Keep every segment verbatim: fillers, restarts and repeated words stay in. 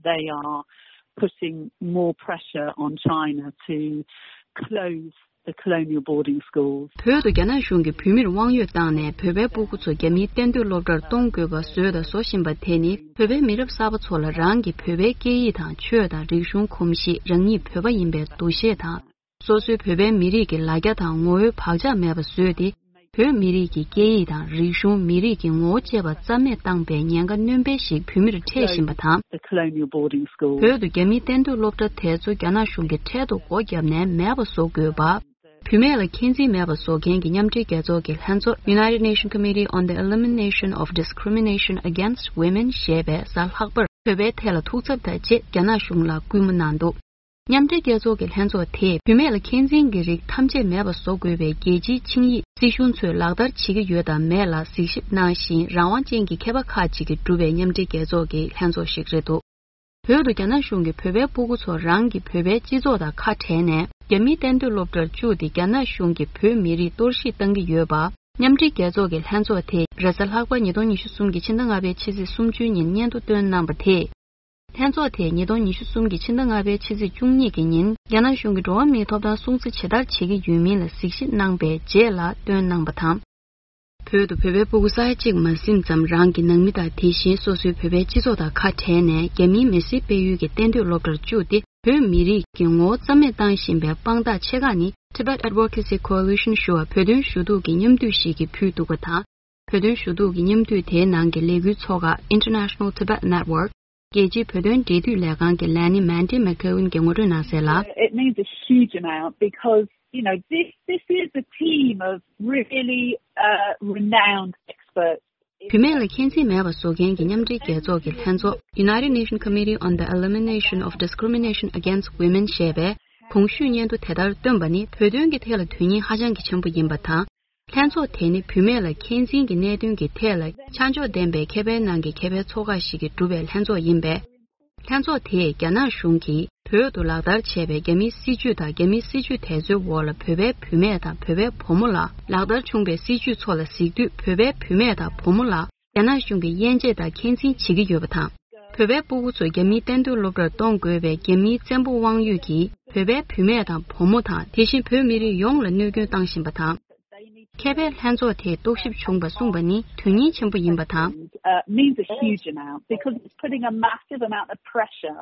They are putting more pressure on China to close the colonial boarding schools. བོད་དུ་རྒྱ་ནག་གཞུང་གིས་བོད་མིར་དབང་ཡོད་བཏང་ནས་བོད་པའི་སྤུ་གུ་ཚོ་རྒྱ་མིའི་གཏན་སྡོད་སློབ་གྲྭར་གཏོང་དགོས་པ་བཟོས་དང་བཟོ་བཞིན་པ་དེ་ནི། བོད་པའི་མི་རབས་གསར་པ་ཚོ་ལ་རང་གི་བོད་པའི་སྐད་ཡིག་དང་ཆོས་དང་རིག་གཞུང་གོམས་གཤིས། རང་ཉིད་བོད་པ་ཡིན་པའི་འདུ་ཤེས་དང་། སོ་སོའི་བོད་པའི་མི་རིགས་ཀྱི་ལ་རྒྱ་དང་ངོ་བོའི་བག་ཆགས་མེད་པ་བཟོས་ཏེ། བོད་མི་རིགས་ཀྱི་སྐད་ཡིག་དང་རིག་གཞུང་། མི་རིགས་ཀྱི་ངོ་བོ་བཅས་པ་རྩ་མེད་བཏང་པའི་ཉེན་ཁ་སྣོན་སྤེལ་ཞིག་བོད་མིར་འཕྲད་བཞིན་པ་དང་། The colonial boarding school. བོད་དུ་རྒྱ་མིའི་གཏན་སྡོད་སློབ་གྲྭ་དེ་ཚོ་རྒྱ་ནག་གཞུང་གིས་འཕྲལ་དུ་སྒོ་བརྒྱབ་ནས་མེད་པ་བཟོ་དགོས་པ། བུད་མེད་ལ་འཁོན་འཛིན་མེད་པ་བཟོ་མཁན་གྱི་མཉམ་འབྲེལ་རྒྱལ་ཚོགས་ཀྱི་ལྷན་ཚོགས། United Nations Committee on the Elimination of Discrimination Against Women ཞེས་པས་གཟའ་ལྷག་པར་བོད་པའི་ཐད་ལ་ཐུགས་འཚབ་དང་བཅས་རྒྱ་ནག་གཞུང་ལ་སྐུལ་མ་གནང་འདུག། མཉམ་འབྲེལ་རྒྱལ་ཚོགས་ཀྱི་ལྷན་ཚོགས་དེས་བུད་མེད་ལ་འཁོན་འཛིན་གྱི་རིགས་ཐམས་ཅད་མེད་པ་བཟོ་དགོས་པའི་རྒྱལ་སྤྱིའི་ཆིངས་ཡིག་སྲིད་གཞུང་ཚོས་ལག་བསྟར་བྱེད་ཀྱི་ཡོད་དམ་མེད་ལ་གཟིགས་ཞིབ་གནང་བཞིན། རང་དབང་ཅན་གྱི་མཁས་པ་ཁག་ཅིག་གིས་གྲུབ་པའི་མཉམ་འབྲེལ་རྒྱལ་ཚོགས་ཀྱི་ལྷན་ཚོགས་ཤིག་རེད་འདུག། བོད་དུ་རྒྱ་ནག་གཞུང་གིས་བོད་པའི་སྤུ་གུ་ཚོ་རང་གི་བོད་པའི་སྤྱི་ཚོགས་དང་ཁ་བྲལ་ནས། རྒྱ་མིའི་གཏན་སྡོད་སློབ་གྲྭར་བཅུག་སྟེ། རྒྱ་ནག་གཞུང་གིས་བོད་མི་རིགས་གཏོར་བཤིག་བཏང་གི་ཡོད་པ། མཉམ་འབྲེལ་རྒྱལ་ཚོགས་ཀྱི་ལྷན་ཚོགས་དེས་རེས་གཟའ་ལྷག་པ་ཉིས་སྟོང་ཉི་ཤུ་གསུམ་གྱི་ཕྱི་ཟླ་ལྔ་པའི་ཕྱི་ཚེས་སུམ་ཅུ་ཉིན་སྙན་ཐོ་བཏོན་གནང་པ་དེས། ལྷན་ཚོགས་དེས་ཉིས་སྟོང་ཉི་ཤུ་གསུམ་གྱི་ཕྱི་ཟླ་ལྔ་པའི་ཕྱི་ཚེས་བཅུ་གཉིས་ཀྱི་ཉིན། རྒྱ་ནག་གཞུང་གིས་འགྲོ་བ་མིའི་ཐོབ་ཐང་སྲུང་བརྩི་ཇི་ལྟར་བྱེད་ཀྱི་ཡོད་མིན་ལ་གཟིགས་ཞིབ་གནང་པའི་རྗེས་ལ་བཏོན་གནང་པ་དང་། བོད་དུ་བོད་པའི་སྤུ་གུ་ས་ཡ་གཅིག་མ་ཟིན་ཙམ་རང་གི་ནང་མི་དང་། དེ་བཞིན་སོ་སོའི་བོད་པའི་སྤྱི་ཚོགས་དང་ཁ་བྲལ་ནས། རྒྱ་མིའི་མི་སེར་སྤེལ་ཡུལ་གྱི་གཏན་སྡོད་སློབ་གྲྭར་བཅུག་སྟེ། བོད་མི་རིགས་ཀྱི་ངོ་བོ་རྩ་མེད་བཏང་བཞིན་པའི་དཔང་རྟགས་ཆེ་ཁག་ནི། Tibet Advocacy Coalition ཞུ་བ་བོད་དོན་ཞུ་གཏུག་གི་མཉམ་འདུས་ཤིག་གིས་ཕུལ་འདུག་པ་དང་། བོད་དོན་ཞུ་གཏུག་གི་མཉམ་འདུས་དེའི་ནང་གི་ལས་འགུལ་ཚོགས་ཁག་International Tibet Network རྒྱལ་སྤྱིའི་བོད་དོན་འབྲེལ་མཐུད་ལས་ཁང་གི་ལས་སྣེ་Mandy McGowan གྱིས་ངོ་སྤྲོད་གནང་གསལ་ལ། It means a huge amount because, you know, this, this is a team of really, uh, renowned experts. བུད་མེད་ལ་འཁོན་འཛིན་མེད་པ་བཟོ་མཁན་གྱི་མཉམ་འབྲེལ་རྒྱལ་ཚོགས་ཀྱི་ལྷན་ཚོགས། United Nations Committee on the Elimination of Discrimination Against Women ཞེས་པས་གོང་ཞུས་སྙན་ཐོ་དེ་ལྟར་བཏོན་པ་ནི། བོད་དོན་གྱི་ཐད་ལ་དོན་སྙིང་ཧ་ཅང་གི་ཆེན་པོ་ཡིན་པ་དང་། ལྷན་ཚོགས་དེ་ནི་བུད་མེད་ལ་འཁོན་འཛིན་གྱི་གནད་དོན་གྱི་ཐད་ལ་ཆ་འཇོག་ལྡན་པའི་ཁེ་ཕན་ནང་གི་ཁེ་ཕན་ཚོགས་ཁག་ཞིག་གིས་གྲུབ་པའི་ལྷན་ཚོགས་ཡིན་པས། ལྷན་ཚོགས་དེས་རྒྱ་ནག་གཞུང་གིས་བོད་དུ་ལག་བསྟར་བྱས་པའི་རྒྱ་མིའི་སྲིད་བྱུས་དང་། རྒྱ་མིའི་སྲིད་བྱུས་དེ་ཚོའི་འོག་ལ་བོད་པའི་བུད་མེད་དང་བོད་པའི་བུ་མོ་ལ། ལག་བསྟར་བྱུང་པའི་སྲིད་བྱུས་ཚོ་ལ་གཟིགས་དུས། བོད་པའི་བུད་མེད་དང་བུ་མོ་ལ་རྒྱ་ནག་གཞུང་གིས་དབྱེ་འབྱེད་དང་འཁོན་འཛིན་བྱེད་ཀྱི་ཡོད་པ་དང་། བོད་པའི་སྤུ་གུ་ཚོས་རྒྱ་མིའི་གཏན་སྡོད་སློབ་གྲྭར་གཏོང་དགོས་པའི་རྒྱ་མིའི་བཙན་པོ་དབང་ཡོད་ཀྱིས་བོད་པའི་བུད་མེད་དང་བུ་མོ་དང་། དེ་བཞིན་བོད་མི་རིགས་ཡོངས་ལ་གནོད་སྐྱོན་བཏང་བཞིན་པ་དང་། ཁེ་ཕན་ལྷན་ཚོགས་དེས་རྟོག་ཞིབ་བྱུང་བ་གསུངས་པ་ནི་དོན་སྙིང་ཆེན་པོ་ཡིན་པ་དང་། Uh, means a huge amount because it's putting a massive amount of pressure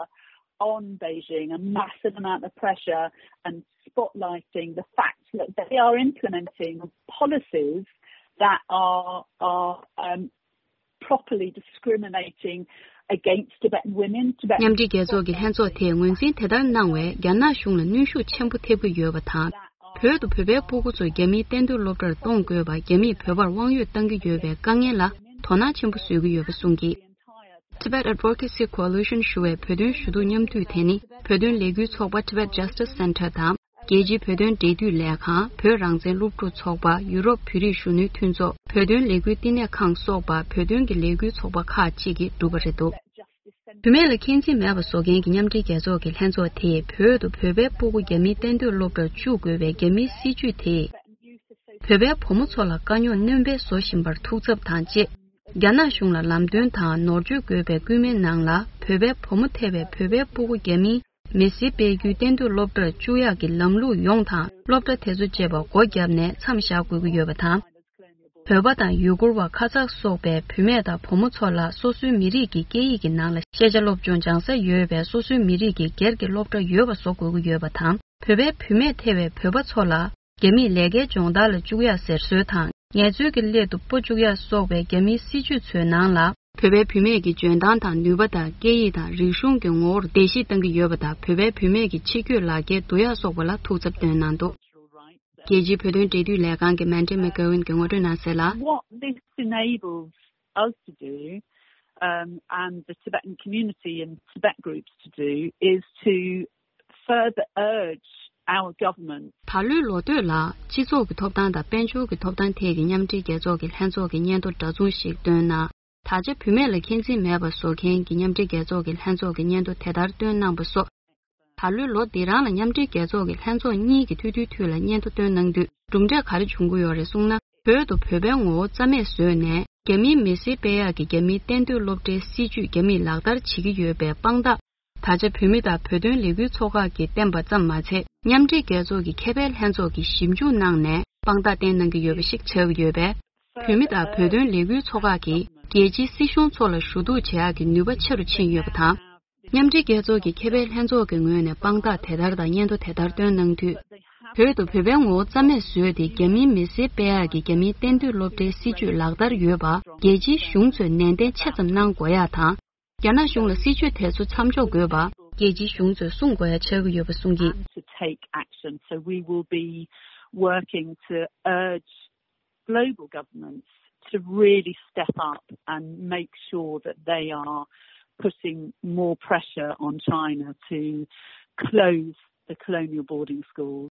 on Beijing, a massive amount of pressure and spotlighting the fact that they are implementing policies that are, are, um, properly discriminating against Tibetan women, Tibetan མཉམ་འབྲེལ་རྒྱལ་ཚོགས་ཀྱི་ལྷན་ཚོགས་དེས་ངོས་འཛིན་དེ་ལྟར་གནང་བས་རྒྱ་ནག་གཞུང་ལ་གནོན་ཤུགས་ཆེན་པོ་ཐེབས་ཀྱི་ཡོད་པ་དང་། བོད་དུ་བོད་པའི་སྤུ་གུ་ཚོ་རྒྱ་མིའི་གཏན་སྡོད་སློབ་གྲྭར་གཏོང་དགོས་པ། རྒྱ་མིས་བོད་པར་དབང་ཡོད་གཏང་གི་ཡོད་པའི་དཀའ་ངལ་ལ་དོ་སྣང་ཆེན་པོ་བཟོ་གི་ཡོད་པ་གསུངས་ཀྱིས། Tibet Advocacy Coalition ཞུ་བའི་བོད་དོན་ཞུ་གཏུག་མཉམ་འདུས་དེ་ནི་བོད་དོན་ལས་འགུལ་ཚོགས་པ་Tibet Justice Center དང་། རྒྱལ་སྤྱིའི་བོད་དོན་འབྲེལ་མཐུད་ལས་ཁང་། བོད་རང་བཙན་སློབ་ཕྲུག་ཚོགས་པ། ཡུ་རོབ་བོད་རིགས་གཞོན་ནུའི་མཐུན་ཚོགས། བོད་དོན་ལས་འགུལ་བསྟི་གནས་ཁང་སོགས་པ་བོད་དོན་གྱི་ལས་འགུལ་ཚོགས་པ་ཁག་ཅིག་གིས་གྲུབ་པ་རེད་འདུག། བུད་མེད་ལ་འཁོན་འཛིན་མེད་པ་བཟོ་མཁན་གྱི་མཉམ་འབྲེལ་རྒྱལ་ཚོགས་ཀྱི་ལྷན་ཚོགས་དེས་བོད་དུ་བོད་པའི་སྤུ་གུ་རྒྱ་མིའི་གཏན་སྡོད་སློབ་གྲྭར་བཅུག་དགོས་པའི་རྒྱ་མིའི་སྲིད་བྱུས་དེས། བོད་པའི་བུ་མོ་ཚོ་ལ་དཀའ་རྙོག་སྣོན་སྤེལ་བཟོ་བཞིན་པར་ཐུགས་འཚབ་དང་བཅས། རྒྱ་ནག་གཞུང་ལ་ལམ་སྟོན་དང་ནོར་བཅོས་དགོས་པའི་སྐུལ་མའི་ནང་ལ། བོད་པའི་བུ་མོ་ཐེ་བའི་བོད་པའི་སྤུ་གུ་རྒྱ་མིའི་མི་སེར་སྤེལ་རྒྱུའི་གཏན་སྡོད་སློབ་གྲྭར་བཅུག་ཡག་གི་ལམ་ལུགས་ཡོངས་དང་། སློབ་གྲྭ་དེ་ཚོ་བཅས་པ་སྒོ་བརྒྱབ་ནས་མཚམས་བཞག་དགོས་ཀྱི་ཡོད་པ་དང་། བོད་པ་དང་ཡུ་གུར་བ། ཁ་ཛག་སོགས་པའི་བུད་མེད་དང་བུ་མོ་ཚོ་ལ་སོ་སོའི་མི་རིགས་ཀྱི་སྐད་ཡིག་གི་ནང་ལ་ཤེས་བྱ་སློབ་སྦྱོང་སྦྱང་ས་ཡོད་པའི་སོ་སོའི་མི་རིགས་ཀྱི་སྒེར་གྱི་སློབ་གྲྭ་ཡོད་པ་བཟོ་དགོས་ཀྱི་ཡོད་པ་དང་། བོད་པའི་བུད་མེད་ཐེ་བའི་བོད་པ་ཚོ་ལ་རྒྱ་མིས་ལས་ཀའི་སྦྱོང་བརྡར་ལ་བཅུག་ཡག་ཟེར་སྲོལ་དང་། ངལ་རྩོལ་གྱི་སླད་དུ་སྤོ་བཅུག་ཡག་སོགས་པའི་རྒྱ་མིའི་སྲིད་བྱུས་ཚོའི་ནང་ལ། བོད་པའི་བུད་མེད་ཀྱི་འཇོན་ཐང་དང་ནུས་པ་དང་། སྐད་ཡིག་དང་རིག་གཞུང་གི་ངོ་བོར་བརྡལ་བཤིག་བཏང་གི་ཡོད་པ་དང་། བོད་པའི་བུད་མེད་ཀྱི་ཕྱི་སྐྱོད་ལག་འཁྱེར་བསྡུ་ཡག་སོགས་པ་ལ་ཐུགས་འཚབ་བཏོན་གནང་འདུག། རྒྱལ་སྤྱིའི་བོད་དོན་འབྲེལ་མཐུད་ལས་ཁང་གི་Mandy McGowan གྱིས་ངོ་སྤྲོད་གནང་གསལ་ལ། What this enables us to do, um, and the Tibetan community and Tibet groups to do is to further urge our government. ད་ལོའི་ལོ་སྟོད་ལ་སྤྱི་ཚོགས་ཀྱི་ཐོབ་ཐང་དང་དཔལ་འབྱོར་གྱི་ཐོབ་ཐང་ཐད་ཀྱི་མཉམ་འབྲེལ་རྒྱལ་ཚོགས་ཀྱི་ལྷན་ཚོགས་ཀྱི་སྙན་ཐོ་འདྲ་མཚུངས་ཤིག་བཏོན་ན། ད་ཆ་བུད་མེད་ལ་འཁོན་འཛིན་མེད་པ་བཟོ་མཁན་གྱི་མཉམ་འབྲེལ་རྒྱལ་ཚོགས་ཀྱི་ལྷན་ཚོགས་ཀྱི་སྙན་ཐོ་དེ་ལྟར་བཏོན་གནང་པ་སོགས། ད་ལོའི་ལོ་འདི་རང་ལ་མཉམ་འབྲེལ་རྒྱལ་ཚོགས་ཀྱི་ལྷན་ཚོགས་གཉིས་ཀྱི་ཐུགས་འདུན་མཐུད་ལ་སྙན་ཐོ་བཏོན་གནང་དུས། གྲུབ་འབྲས་ག་རེ་བྱུང་གི་ཡོད་རེད་གསུངས་ན། བོད་དུ་བོད་པའི་ངོ་བོ་རྩ་མེད་བཟོས་ནས། རྒྱ་མིའི་མི་སེར་སྤེལ་ཡག་གི་རྒྱ་མིའི་གཏན་སྡོད་སློབ་གྲྭའི་སྲིད་བྱུས་རྒྱ་མིས་ལག་བསྟར་བྱེད་ཀྱི་ཡོད་པའི་དཔང་རྟགས། ད་ཆ་བོད་མི་དང་བོད་དོན་ལས་འགུལ་ཚོགས་ཁག་གིས་བསྟན་པ་ཙམ་མ་ཚད། མཉམ་འབྲེལ་རྒྱལ་ཚོགས་ཀྱི་ཁེ་ཕན་ལྷན་ཚོགས་ཀྱིས་ཞིབ་འཇུག་གནང་ནས་དཔང་རྟགས་བསྟན་གནང་གི་ཡོད་པ་ཞིག་ཆགས་ཀྱི་ཡོད་པས། བོད་མི་དང་བོད་དོན་ལས་འགུལ་ཚོགས་ཁག་གིས་རྒྱལ་སྤྱིའི་སྲིད་གཞུང་ཚོ་ལ་ཞུ་གཏུག་བྱེད་ཡག་གི་ནུས་པ་ཆེ་རུ་ཕྱིན་ཡོད་པ་དང་། མཉམ་འབྲེལ་རྒྱལ་ཚོགས་ཀྱི་ཁེ་ཕན་ལྷན་ཚོགས་ཀྱི་ངོས་ནས་དཔང་རྟགས་དེ་ལྟར་དང་སྙན་ཐོ་དེ་ལྟར་བཏོན་གནང་དུས། བོད་དུ་བོད་པའི་ངོ་བོ་རྩ་མེད་བཟོས་ཏེ་རྒྱ་མིའི་མི་སེར་སྤེལ་ཡག་གི་རྒྱ་མིའི་གཏན་སྡོད་སློབ་གྲྭའི་སྲིད་བྱུས་ལག་བསྟར་ཡོད་པ་རྒྱལ་སྤྱིའི་གཞུང་ཚོས་ནན་ཏན་ཆེ་ཙམ་གནང་དགོས་ཡག་དང་། རྒྱ་ནག་གཞུང་ལ་སྲིད་བྱུས་དེ་ཚོ་མཚམས་འཇོག་དགོས་པ་རྒྱལ་སྤྱིའི་གཞུང་ཚོས་གསུང་དགོས་ཡག་ཆགས་ཀྱི་ཡོད་པ་གསུངས་ཀྱིས། To take action. So we will be working to urge global governments to really step up and make sure that they are putting more pressure on China to close the colonial boarding schools.